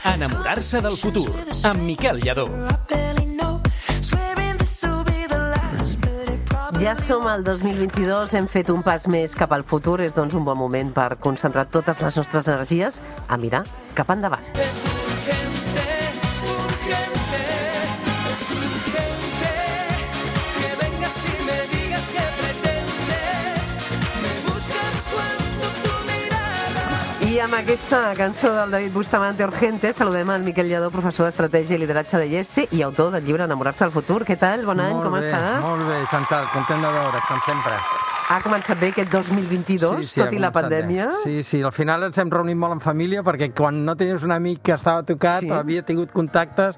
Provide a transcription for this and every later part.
Enamorar-se del futur, amb Miquel Lladó. Ja som al 2022, hem fet un pas més cap al futur. És doncs un bon moment per concentrar totes les nostres energies a mirar cap endavant. I amb aquesta cançó del David Bustamante, Urgente, saludem al Miquel Lladó, professor d'Estratègia i Lideratge de IESE i autor del llibre Enamorar-se del futur. Què tal? Bon any, com estàs? Molt bé, Chantal, content de veure't, com sempre. Ha començat bé aquest 2022, tot i la pandèmia? Sí, al final ens hem reunit molt en família perquè quan no tenies un amic que estava tocat, havia tingut contactes,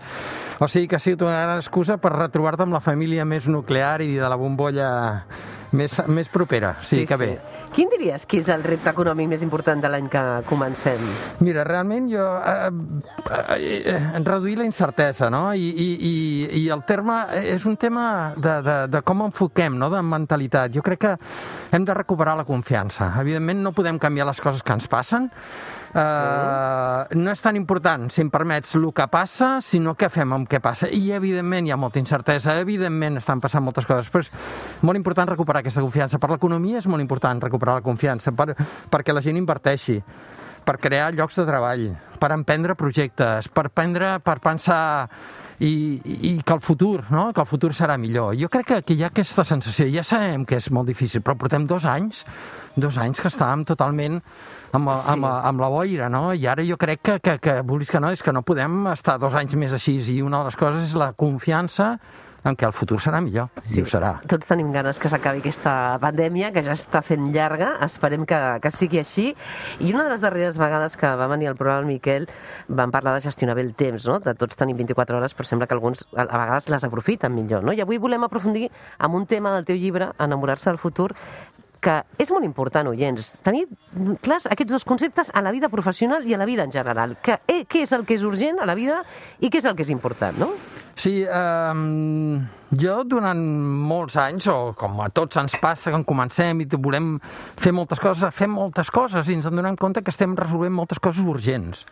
o sigui que ha sigut una gran excusa per retrobar-te amb la família més nuclear i de la bombolla més propera. Sí, que bé. Quin diries que és el repte econòmic més important de l'any que comencem? Mira, realment jo... reduir la incertesa, no? I el terme és un tema de com enfoquem, no? De mentalitat. Jo crec que hem de recuperar la confiança. Evidentment no podem canviar les coses que ens passen. No és tan important, si em permets, el que passa, sinó què fem amb què passa. I evidentment hi ha molta incertesa, evidentment estan passant moltes coses, però és molt important recuperar aquesta confiança. Per l'economia és molt important recuperar la confiança, perquè la gent inverteixi, per crear llocs de treball, per emprendre projectes, per pensar i que el futur, no? Que el futur serà millor. Jo crec que hi ha aquesta sensació, ja sabem que és molt difícil, però portem 2 anys que estàvem totalment amb la boira, no? I ara jo crec que vulguis que no, és que no podem estar 2 anys més així, i una de les coses és la confiança en què el futur serà millor, i ho serà. Tots tenim ganes que s'acabi aquesta pandèmia, que ja està fent llarga, esperem que sigui així. I una de les darreres vegades que va venir al programa el Miquel vam parlar de gestionar bé el temps, no? De tots tenim 24 hores, però sembla que alguns a vegades les aprofiten millor, no? I avui volem aprofundir en un tema del teu llibre, Enamorar-se del futur, que és molt important, oients, tenir clars aquests 2 conceptes a la vida professional i a la vida en general. Què és el que és urgent a la vida i què és el que és important, no? Sí, jo durant molts anys, o com a tots ens passa, quan comencem i volem fer moltes coses, fem moltes coses i ens en donem compte que estem resolvent moltes coses urgents.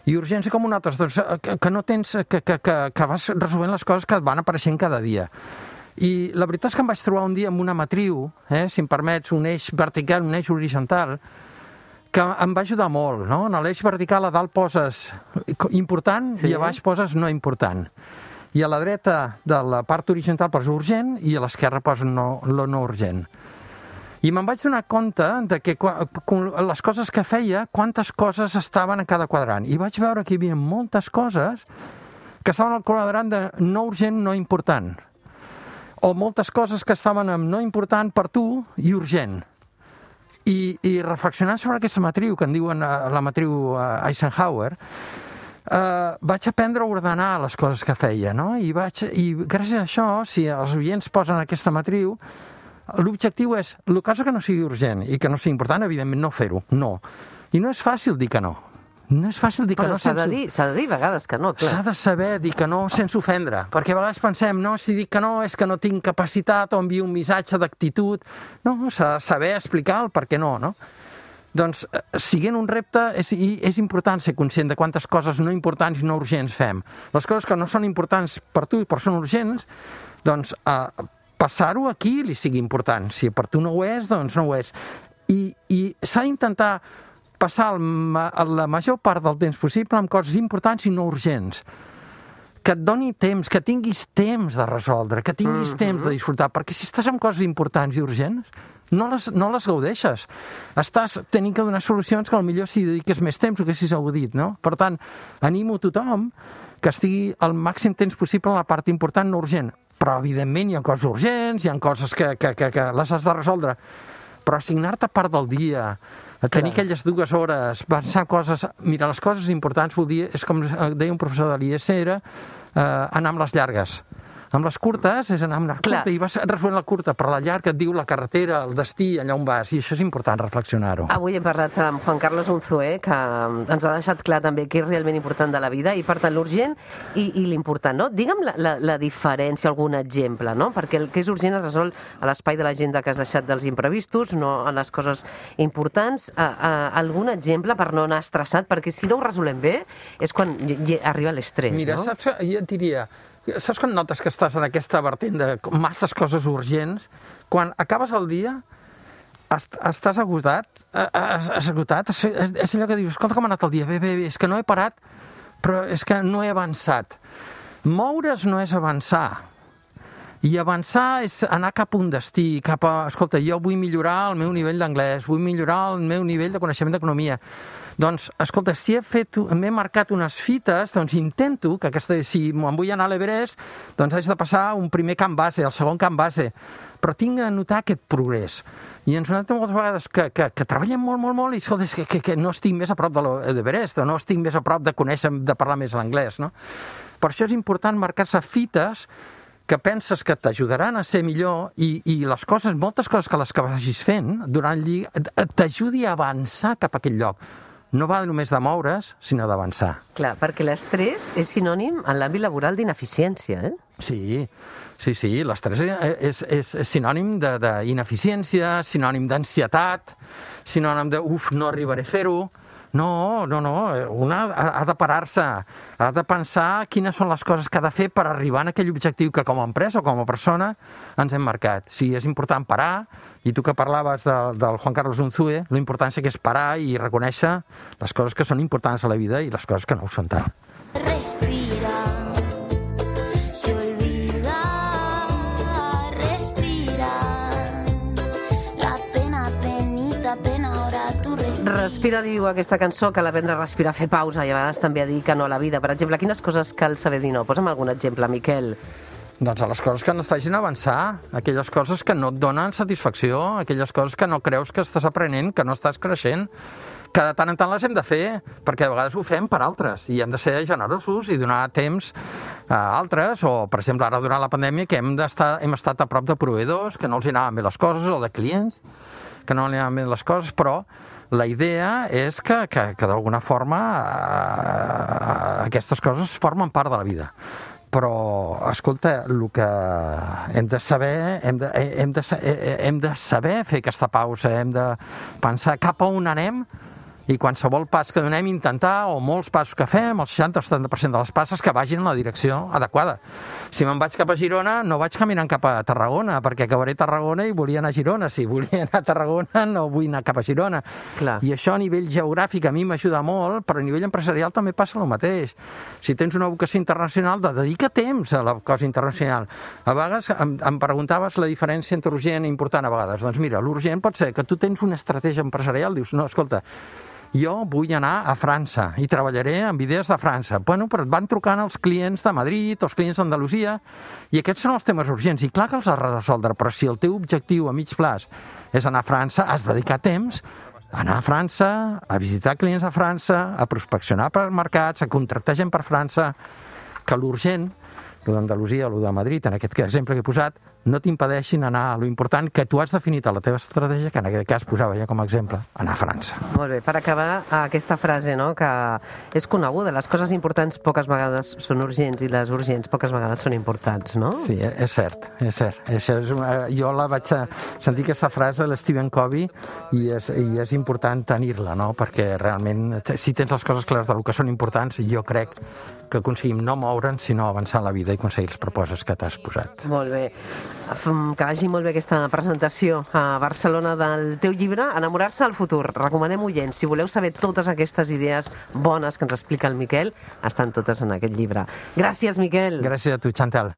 I urgència com un altre, doncs, que no tens, que vas resolvent les coses que et van apareixent cada dia. I la veritat és que em vaig trobar un dia amb una matriu, si em permets, un eix vertical, un eix horitzontal, que em va ajudar molt, no? En l'eix vertical a dalt poses important i a baix poses no important. I a la dreta de la part horitzontal poses urgent i a l'esquerra poses no urgent. I me'n vaig donar compte de que les coses que feia, quantes coses estaven a cada quadrant. I vaig veure que hi havia moltes coses que estaven al quadrant de no urgent, no important. O moltes coses que estaven amb no important per tu i urgent. I reflexionant sobre aquesta matriu, que en diuen la matriu Eisenhower, vaig aprendre a ordenar les coses que feia, no? I gràcies a això, si els oients posen aquesta matriu, l'objectiu és, el cas que no sigui urgent i que no sigui important, evidentment no fer-ho, no. I no és fàcil dir que no. No és fàcil dir que no. Però s'ha de dir a vegades que no, clar. S'ha de saber dir que no sense ofendre, perquè a vegades pensem, no, si dic que no és que no tinc capacitat o envio un missatge d'actitud. No, s'ha de saber explicar el per què no, no? Doncs, siguent un repte, és important ser conscient de quantes coses no importants i no urgents fem. Les coses que no són importants per tu i per són urgents, doncs, passar-ho aquí li sigui important. Si per tu no ho és, doncs no ho és. I s'ha d'intentar passar la major part del temps possible amb coses importants i no urgents. Que et doni temps, que tinguis temps de resoldre, que tinguis temps de disfrutar, perquè si estàs amb coses importants i urgents, no les gaudeixes. Estàs tenint que donar solucions que potser si dediques més temps ho haguessis gaudit, no? Per tant, animo a tothom que estigui el màxim temps possible en la part important, no urgent. Però, evidentment, hi ha coses urgents, hi ha coses que les has de resoldre. Però assignar-te part del dia, a tenir aquelles 2 hores, pensar coses... Mira, les coses importants, vol dir, és com deia un professor de l'IESE, era anar amb les llargues. Amb les curtes és anar amb la curta i vas resolent la curta, però la llarga et diu la carretera, el destí, allà on vas, i això és important reflexionar-ho. Avui hem parlat amb Juan Carlos Unzué, que ens ha deixat clar també què és realment important de la vida, i per tant l'urgent i l'important, no? Digue'm la diferència, algun exemple, no? Perquè el que és urgent es resol a l'espai de l'agenda que has deixat dels imprevistos, no a les coses importants. Algun exemple per no anar estressat? Perquè si no ho resolem bé és quan arriba l'estrès, no? Mira, saps, jo et diria... Saps quan notes que estàs en aquesta vertent de masses coses urgents? Quan acabes el dia, estàs agotat, és allò que dius, escolta com ha anat el dia, bé, és que no he parat, però és que no he avançat. Moure's no és avançar. I avançar és anar cap a un destí, cap a... Escolta, jo vull millorar el meu nivell d'anglès, vull millorar el meu nivell de coneixement d'economia. Doncs, escolta, si m'he marcat unes fites, doncs intento que si me'n vull anar a l'Everest, doncs haig de passar un primer camp base, el segon camp base, però tinc de notar aquest progrés. I ens notem moltes vegades que treballem molt, i escolta, és que no estic més a prop de l'Everest, o no estic més a prop de conèixer, de parlar més l'anglès, no? Per això és important marcar-se fites que penses que t'ajudaran a ser millor i les coses, moltes coses que les que vagis fent durant el dia t'ajudi a avançar cap a aquell lloc. No va només de moure's, sinó d'avançar. Clar, perquè l'estrès és sinònim en l'àmbit laboral d'ineficiència, eh? Sí, l'estrès és sinònim d'ineficiència, sinònim d'ansietat, sinònim de, no arribaré a fer-ho. No, una ha de parar-se, ha de pensar quines són les coses que ha de fer per arribar a aquell objectiu que com a empresa o com a persona ens hem marcat. Sí, és important parar, i tu que parlaves del Juan Carlos Unzué, l'importància que és parar i reconèixer les coses que són importants a la vida i les coses que no ho són tant. Respira, se olvida, respira, la pena, penita, pena, ahora tu respira. Respira, diu aquesta cançó, cal aprendre a respirar, fer pausa, i a vegades també a dir que no a la vida. Per exemple, quines coses cal saber dir no? Posa'm algun exemple, Miquel. Doncs a les coses que no et facin avançar, aquelles coses que no et donen satisfacció, aquelles coses que no creus que estàs aprenent, que no estàs creixent, que de tant en tant les hem de fer, perquè a vegades ho fem per altres, i hem de ser generosos i donar temps a altres, o, per exemple, ara durant la pandèmia, que hem estat a prop de proveïdors, que no els anaven bé les coses, o de clients, que no els anaven bé les coses, però la idea és que d'alguna forma aquestes coses formen part de la vida. Però, escolta, el que hem de saber, hem de saber fer aquesta pausa, hem de pensar cap a on anem, i qualsevol pas que donem intentar, o molts passos que fem, el 60 o 70% de les passes, que vagin en la direcció adequada. Si me'n vaig cap a Girona, no vaig caminant cap a Tarragona, perquè acabaré a Tarragona i volia anar a Girona. Si volia anar a Tarragona, no vull anar cap a Girona. Clar. I això a nivell geogràfic a mi m'ajuda molt, però a nivell empresarial també passa el mateix. Si tens una vocació internacional, dedica temps a la cosa internacional. A vegades em preguntaves la diferència entre urgent i important a vegades. Doncs mira, l'urgent pot ser que tu tens una estratègia empresarial, dius, no, escolta, jo vull anar a França i treballaré amb idees de França. Bueno, però et van trucant els clients de Madrid o els clients d'Andalusia i aquests són els temes urgents. I clar que els has de resoldre, però si el teu objectiu a mig plaç és anar a França, has de dedicar temps a anar a França, a visitar clients a França, a prospeccionar per mercats, a contractar gent per França, que l'urgent, el d'Andalusia o el de Madrid, en aquest exemple que he posat, no t'impedeixin anar a lo important que tu has definit a la teva estratègia, que en aquest cas posava ja com a exemple, anar a França. Molt bé, per acabar aquesta frase, no?, que és coneguda, les coses importants poques vegades són urgents i les urgents poques vegades són importants, no? Sí, és cert, és cert. Jo la vaig sentir aquesta frase de l'Stephen Covey i és important tenir-la, no?, perquè realment, si tens les coses clares del que són importants, jo crec que aconseguim no moure'ns, sinó avançar en la vida i aconseguir els propòsits que t'has posat. Molt bé. Que vagi molt bé aquesta presentació a Barcelona del teu llibre, Enamorar-se del futur. Recomanem oients, si voleu saber totes aquestes idees bones que ens explica el Miquel, estan totes en aquest llibre. Gràcies, Miquel. Gràcies a tu, Chantal.